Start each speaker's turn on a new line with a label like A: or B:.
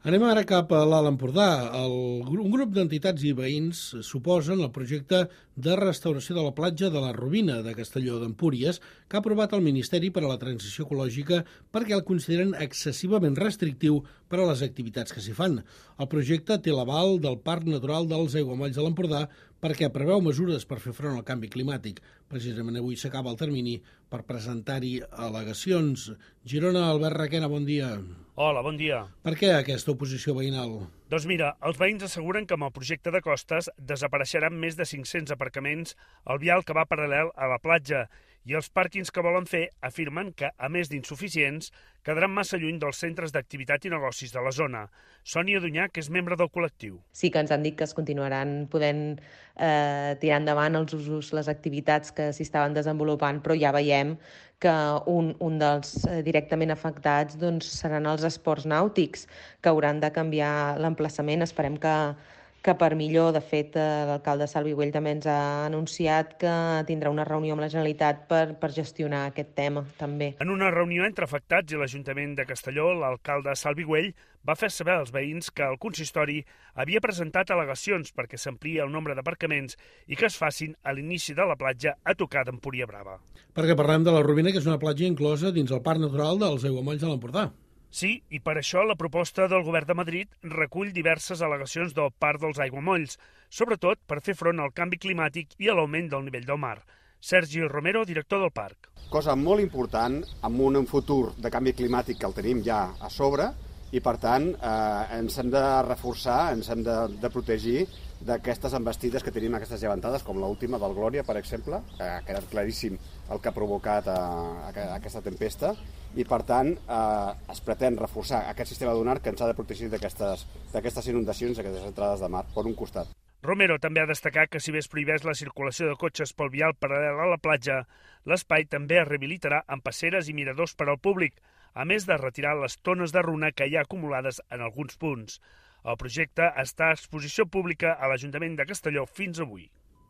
A: Anem ara cap a l'Alt Empordà. Un grup d'entitats i veïns s'oposen al projecte de restauració de la platja de la Robina de Castelló d'Empúries que ha aprovat el Ministeri per a la Transició Ecològica perquè el consideren excessivament restrictiu per a les activitats que s'hi fan. El projecte té l'aval del Parc Natural dels Aiguamolls de l'Empordà perquè preveu mesures per fer front al canvi climàtic. Precisament avui s'acaba el termini per presentar-hi al·legacions. Girona, Albert Requena, bon dia.
B: Hola, bon dia.
A: Per què aquesta oposició veïnal?
B: Doncs mira, els veïns asseguren que amb el projecte de costes desapareixeran més de 500 aparcaments al vial que va paral·lel a la platja i els pàrquings que volen fer afirmen que, a més d'insuficients, quedaran massa lluny dels centres d'activitat i negocis de la zona. Sònia Dunyà, que és membre del col·lectiu.
C: Sí que ens han dit que es continuaran podent tirar endavant els usos, les activitats que s'hi estaven desenvolupant, però ja veiem que un dels directament afectats doncs, seran els esports nàutics, que hauran de canviar l'emplaçament. Esperem que per millor. De fet, l'alcalde Salvi Güell també ens ha anunciat que tindrà una reunió amb la Generalitat per gestionar aquest tema, també.
B: En una reunió entre afectats i l'Ajuntament de Castelló, l'alcalde Salvi Güell va fer saber als veïns que el consistori havia presentat al·legacions perquè s'ampliï el nombre d'aparcaments i que es facin a l'inici de la platja a tocar d'Empúria Brava.
A: Perquè parlem de la Robina, que és una platja inclosa dins el Parc Natural dels Aiguamolls de l'Empordà.
B: Sí, i per això la proposta del govern de Madrid recull diverses al·legacions del Parc dels Aiguamolls, sobretot per fer front al canvi climàtic i a l'augment del nivell del mar. Sergi Romero, director del parc.
D: Cosa molt important amb un futur de canvi climàtic que el tenim ja a sobre i, per tant, ens hem de reforçar, ens hem de protegir d'aquestes embestides que tenim, aquestes llevantades, com l'última del Glòria, per exemple, que ha quedat claríssim el que ha provocat aquesta tempesta, i, per tant, es pretén reforçar aquest sistema dunar que ens ha de protegir d'aquestes inundacions, d'aquestes entrades de mar, per un costat.
B: Romero també ha destacat que si bé es prohibeix la circulació de cotxes pel vial paral·lel a la platja, l'espai també es rehabilitarà amb passeres i miradors per al públic, a més de retirar les tones de runa que hi ha acumulades en alguns punts. El projecte està a exposició pública a l'Ajuntament de Castelló fins avui.